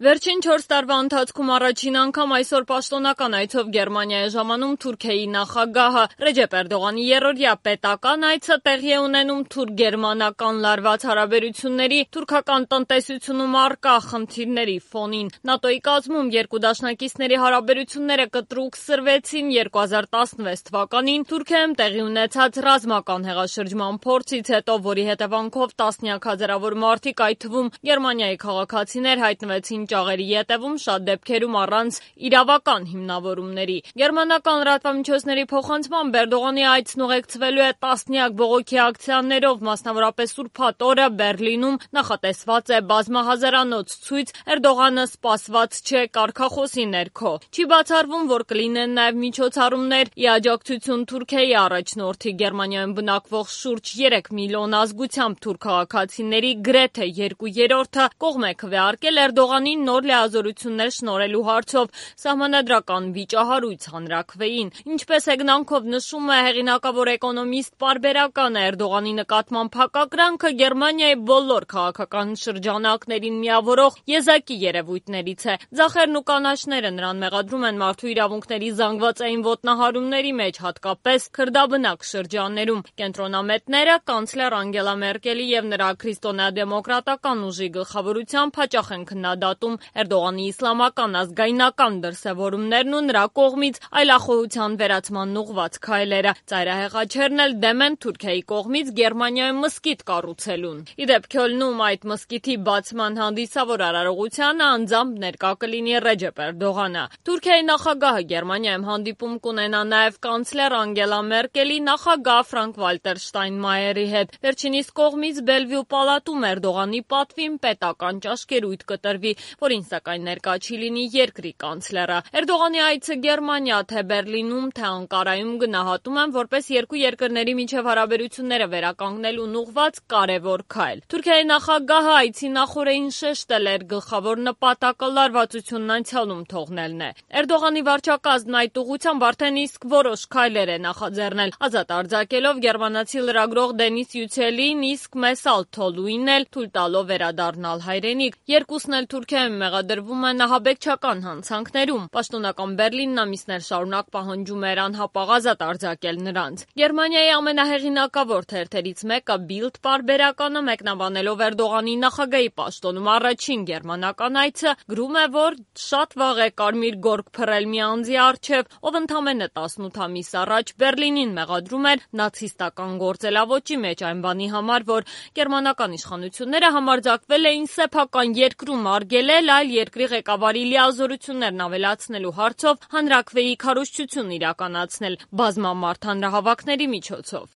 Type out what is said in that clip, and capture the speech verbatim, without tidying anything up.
Վերջին չորս տարվա ընթացքում առաջին անգամ այսօր պաշտոնական այցով Գերմանիա է ժամանում Թուրքիայի նախագահը։ Ռեջեփ Էրդողանի երրորդյա պետական այցը տեղի է ունենում թուրք-գերմանական լարված հարաբերությունների, թուրքական տնտեսությունում առկա խնդիրների ֆոնին։ ՆԱՏՕ-ի կազմում երկու դաշնակիցների հարաբերությունները կտրուկ սրվեցին երկու հազար տասնվեց թվականին Թուրքիայում տեղի ունեցած ռազմական հեղաշրջման փորձից հետո, որի հետևանքով տասնյակ հազարավոր մարդիկ, այդ թվում Գերմանիայի քաղաքացիներ, հայտնվեցին ճաղերի ետևում, շատ դեպքերում առանց իրավական հիմնավորումների։ Գերմանական լրատվամիջոցների փոխանցմամբ Էրդողանի այցն ուղեկցվելու է տասնյակ բողոքի ակցիաներով, մասնավորապես ուրբաթ օրը Բեռլինում նախատեսված է բազմահազարանոց ցույց Էրդողանը սպասված չէ կարգախոսի ներքո։ Չի բացառվում, որ կլինեն նաև միջոցառումներ ի աջակցություն Թուրքիայի առաջնորդի Գերմանիայում բնակվող շուրջ երեք միլիոն ազգությամբ թուրք քաղաքացիների գրեթե երկու երրորդը կողմ է քվեարկել Էրդողանին նոր լիազորություններ շնորհելու հարցով սահմանադրական վիճահարույց հանրաքվեին։ Ինչպես հեգնանքով նշում է հեղինակավոր էկոնոմիստ պարբերական Էրդողանի նկատմամբ հակակրանքը Գերմանիայի բոլոր քաղաքական շրջանակներին միավորող եզակի երևույթներից է։ Ձախերն ու կանաչները նրան մեղադրում են մարդու իրավունքների զանգվածային ոտնահարումների մեջ, հատկապես քրդաբնակ շրջաններում։ Կենտրոնամետները կանցլեր Անգելա Մերկելի եւ նրա քրիստոնեադեմոկրատական ուժի գլխավորությամբ հաճախ են քննադատում Էրդողանի իսլամական ազգայնական դրսևորումներն ու նրա կողմից այլախոհության վերացման ուղղված քայլերը։ Ծայրահեղաչերն էլ դեմ են Թուրքիայի կողմից Գերմանիայում մզկիթ կառուցելուն։ Ի դեպ, Քյոլնում այդ մզկիթի բացման հանդիսավոր արարողությանը անձամբ ներկա կլինի Ռեջեփ Էրդողանը։ Թուրքիայի նախագահը Գերմանիայում հանդիպում կունենա նաև կանցլեր Անգելա Մերկելի, նախագահ Ֆրանկ-Վալտեր Շտայնմայերի հետ։ Վերջինիս կողմից Բելվյու պալատում Էրդողանի պատվին պետական ճաշկերույթ կտրվի, որին սակայն ներկա չի լինի երկրի կանցլերը։ Էրդողանի այցը Գերմանիա, թե Բեռլինում, թե Անկարայում գնահատում են որպես երկու երկրների միջև հարաբերությունները վերականգնելուն ուղղված կարևոր քայլ։ Թուրքիայի նախագահը այցի նախօրեին շեշտել էր գլխավոր նպատակը լարվածությունն անցյալում թողնելն է։ Էրդողանի վարչակազմն այդ ուղղությամբ արդեն իսկ որոշ քայլեր է նախաձեռնել, ազատ արձակելով գերմանացի լրագրող Դենիս Յուցելին, իսկ Մեսալ Թոլուին էլ թույլ տալով վերադառնալ հայրենիք։ Երկուսն էլ Թուրքիայում մեղադրվում են ահաբեկչական հանցանքներում։ Պաշտոնական Բեռլինն ամիսներ շարունակ պահանջում էր անհապաղ ազատ արձակել նրանց։ Գերմանիայի ամենահեղինակավոր թերթերից մեկը Bild պարբերականը մեկնաբանելով Էրդողանի նախագահի պաշտոնում առաջին գերմանական այցը գրում է, որ շատ վաղ է կարմիր գորգ փռել մի անձի առջև, ով ընդամենը տասնութ ամիս առաջ Բեռլինին մեղադրում էր նացիստական գործելավոճի մեջ այն բանի համար, որ գերմանական իշխանությունները համարձակվել էին սեփական երկրում արգելել այլ երկրի ղեկավարի լիազորություններն ավելացնելու հարցով հանրաքվեի քարոզչություն իրականացնել բազմամարդ հանրահավաքների միջոցով։